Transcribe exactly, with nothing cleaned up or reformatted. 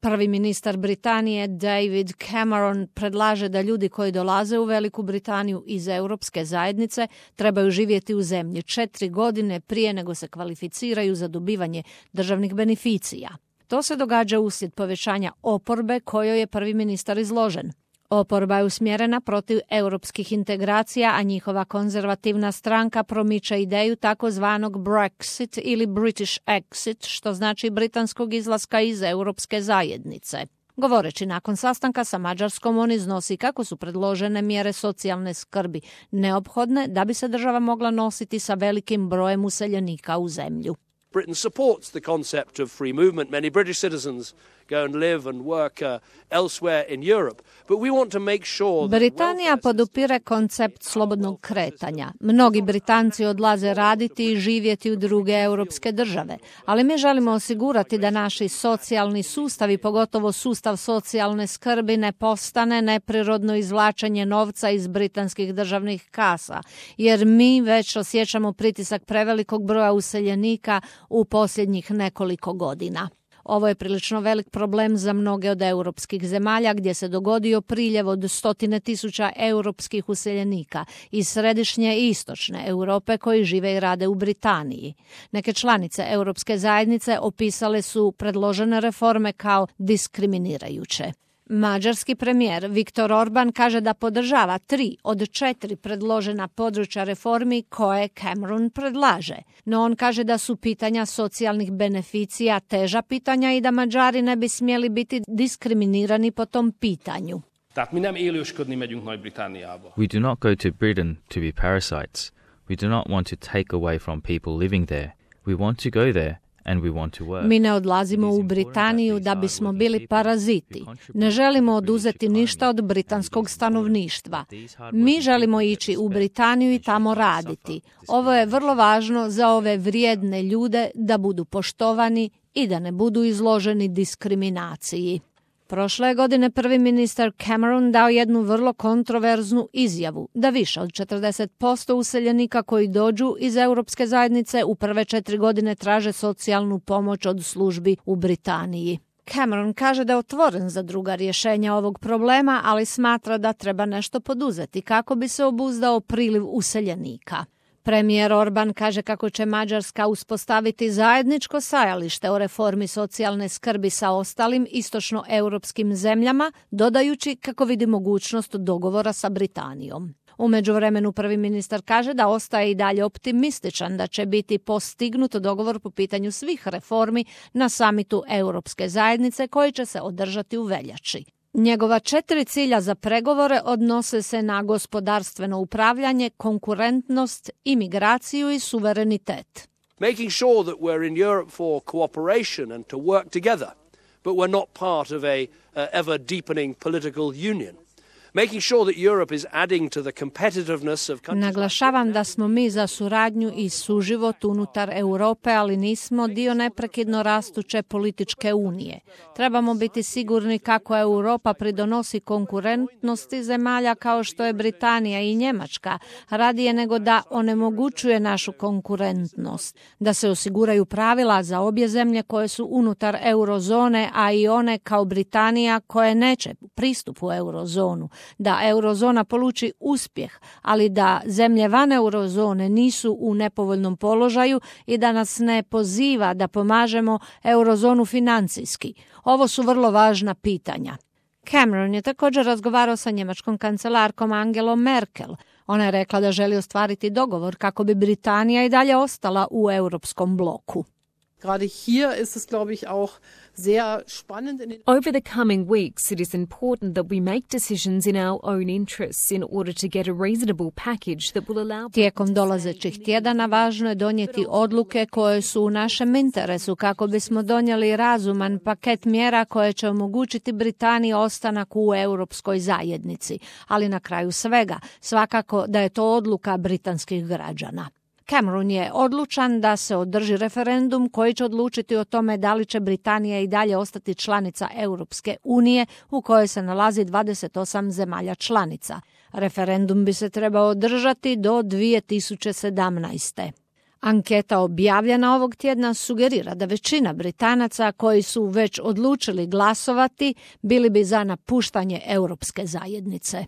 Prvi ministar Britanije David Cameron predlaže da ljudi koji dolaze u Veliku Britaniju iz Europske zajednice trebaju živjeti u zemlji četiri godine prije nego se kvalificiraju za dobivanje državnih beneficija. To se događa uslijed povećanja oporbe kojoj je prvi ministar izložen. Oporba je usmjerena protiv europskih integracija, a njihova konzervativna stranka promiče ideju takozvanog Brexit ili British Exit, što znači britanskog izlaska iz Europske zajednice. Govoreći nakon sastanka sa Mađarskom, on iznosi kako su predložene mjere socijalne skrbi neophodne da bi se država mogla nositi sa velikim brojem useljenika u zemlju. Britain supports the concept of free movement. Many British citizens go and live and work uh, elsewhere in Europe. But we want to make sure that Britanija podupire koncept slobodnog kretanja. Mnogi Britanci odlaze raditi i živjeti u druge europske države, ali mi želimo osigurati da naši socijalni sustavi, pogotovo sustav socijalne skrbi, ne postane neprirodno izvlačenje novca iz britanskih državnih kasa, jer mi već osjećamo pritisak prevelikog broja useljenika u posljednjih nekoliko godina. Ovo je prilično velik problem za mnoge od europskih zemalja gdje se dogodio priljev od stotine tisuća europskih useljenika iz središnje i istočne Europe koji žive i rade u Britaniji. Neke članice Europske zajednice opisale su predložene reforme kao diskriminirajuće. Mađarski premijer Viktor Orban kaže da podržava tri od četiri predložena područja reformi koje Cameron predlaže. No on kaže da su pitanja socijalnih beneficija teža pitanja i da Mađari ne bi smjeli biti diskriminirani po tom pitanju. We do not go to Britain to be parasites. We do not want to take away from people living there. We want to go there. Mi ne odlazimo u Britaniju da bismo bili paraziti. Ne želimo oduzeti ništa od britanskog stanovništva. Mi želimo ići u Britaniju i tamo raditi. Ovo je vrlo važno za ove vrijedne ljude da budu poštovani i da ne budu izloženi diskriminaciji. Prošle godine prvi ministar Cameron dao jednu vrlo kontroverznu izjavu da više od četrdeset posto useljenika koji dođu iz Europske zajednice u prve četiri godine traže socijalnu pomoć od službi u Britaniji. Cameron kaže da je otvoren za druga rješenja ovog problema, ali smatra da treba nešto poduzeti kako bi se obuzdao priliv useljenika. Premijer Orban kaže kako će Mađarska uspostaviti zajedničko stajalište o reformi socijalne skrbi sa ostalim istočnoeuropskim zemljama, dodajući kako vidi mogućnost dogovora sa Britanijom. U međuvremenu prvi ministar kaže da ostaje i dalje optimističan da će biti postignut dogovor po pitanju svih reformi na samitu Europske zajednice koji će se održati u veljači. Njegova četiri cilja za pregovore odnose se na gospodarstveno upravljanje, konkurentnost, imigraciju i suverenitet. Making sure that we're in Europe for cooperation and to work together, but we're not part of a uh, ever deepening political union. Making sure that Europe is adding to the competitiveness of countries. Naglašavam da smo mi za suradnju i suživot unutar Europe, ali nismo dio neprekidno rastuće političke unije. Trebamo biti sigurni kako Europa pridonosi konkurentnosti zemalja kao što je Britanija i Njemačka, radije nego da onemogućuje našu konkurentnost. Da se osiguraju pravila za obje zemlje koje su unutar eurozone, a i one kao Britanija koje neće pristup u eurozonu. Da eurozona poluči uspjeh, ali da zemlje van eurozone nisu u nepovoljnom položaju i da nas ne poziva da pomažemo eurozonu financijski. Ovo su vrlo važna pitanja. Cameron je također razgovarao sa njemačkom kancelarkom Angelom Merkel. Ona je rekla da želi ostvariti dogovor kako bi Britanija i dalje ostala u europskom bloku. Gerade hier ist es, glaube ich, auch sehr spannend. Over the coming weeks, it is important that we make decisions in our own interests in order to get a reasonable package that will allow... Tijekom dolazećih tjedana važno je donijeti odluke koje su u našem interesu kako bismo donijeli razuman paket mjera koje će omogućiti Britaniji ostanak u europskoj zajednici. Ali na kraju svega, svakako da je to odluka britanskih građana. Cameron je odlučan da se održi referendum koji će odlučiti o tome da li će Britanija i dalje ostati članica Europske unije u kojoj se nalazi dvadeset osam zemalja članica. Referendum bi se trebao održati do dvije tisuće sedamnaeste. Anketa objavljena ovog tjedna sugerira da većina Britanaca koji su već odlučili glasovati bili bi za napuštanje Europske zajednice.